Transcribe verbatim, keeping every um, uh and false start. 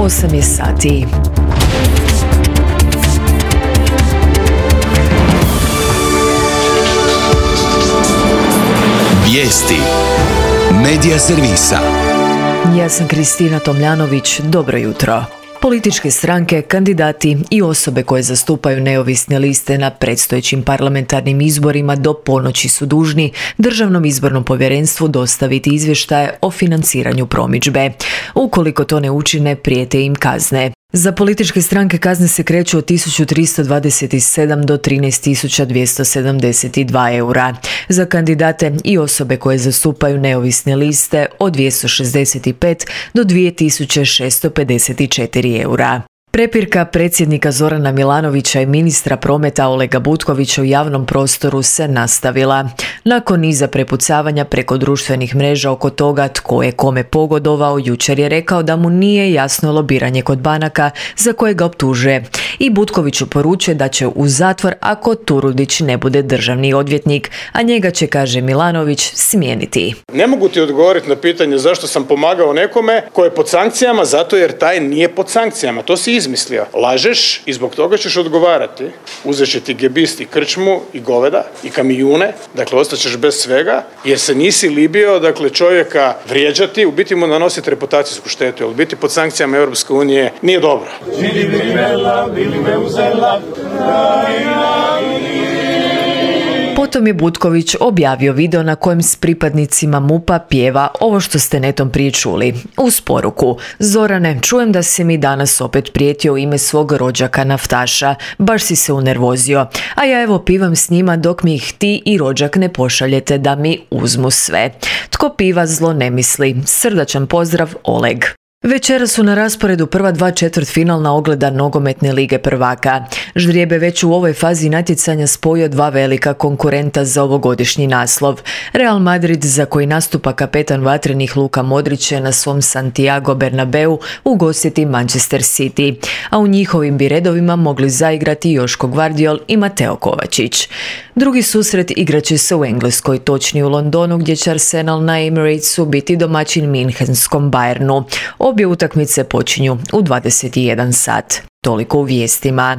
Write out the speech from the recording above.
osam je sati. Vijesti Medija servisa. Ja sam Kristina Tomljanović, dobro jutro. Političke stranke, kandidati i osobe koje zastupaju neovisne liste na predstojećim parlamentarnim izborima do ponoći su dužni Državnom izbornom povjerenstvu dostaviti izvještaje o financiranju promidžbe. Ukoliko to ne učine, prijete im kazne. Za političke stranke kazne se kreću od tisuću tristo dvadeset sedam do trinaest tisuća dvjesto sedamdeset dva eura. Za kandidate i osobe koje zastupaju neovisne liste od dvjesto šezdeset pet do dvije tisuće šesto pedeset četiri eura. Prepirka predsjednika Zorana Milanovića i ministra prometa Olega Butkovića u javnom prostoru se nastavila. Nakon niza prepucavanja preko društvenih mreža oko toga tko je kome pogodovao, jučer je rekao da mu nije jasno lobiranje kod banaka za koje ga optužuje. I Butkoviću poručuje da će u zatvor ako Turudić ne bude državni odvjetnik, a njega će, kaže Milanović, smijeniti. Ne mogu ti odgovoriti na pitanje zašto sam pomagao nekome ko je pod sankcijama, zato jer taj nije pod sankcijama. To si izmislio. Lažeš i zbog toga ćeš odgovarati. Uzet će ti gebist i krčmu i goveda i kamijune, dakle ostaćeš bez svega jer se nisi libio, dakle čovjeka vrijeđati, u biti mu nanositi reputacijsku štetu, jer biti pod sankcijama Europske unije nije dobro. Potom je Butković objavio video na kojem s pripadnicima MUP-a pjeva ovo što ste netom prije čuli. Uz poruku: Zorane, čujem da si mi danas opet prijetio u ime svog rođaka naftaša, baš si se unervozio, a ja evo pivam s njima dok mi ih ti i rođak ne pošaljete da mi uzmu sve. Tko piva zlo ne misli. Srdačan pozdrav, Oleg. Večeras su na rasporedu prva dva četvrtfinalna ogleda nogometne lige prvaka. Ždrijeb je već u ovoj fazi natjecanja spojio dva velika konkurenta za ovogodišnji naslov. Real Madrid, za koji nastupa kapetan vatrenih Luka Modrić, će na svom Santiago Bernabeu ugostiti Manchester City, a u njihovim bi redovima mogli zaigrati Joško Gvardiol i Mateo Kovačić. Drugi susret igraće se u Engleskoj, točnije u Londonu, gdje će Arsenal na Emiratesu biti domaćin Minhenskom Bayernu. Obje utakmice počinju u dvadeset jedan sat. Toliko u vijestima.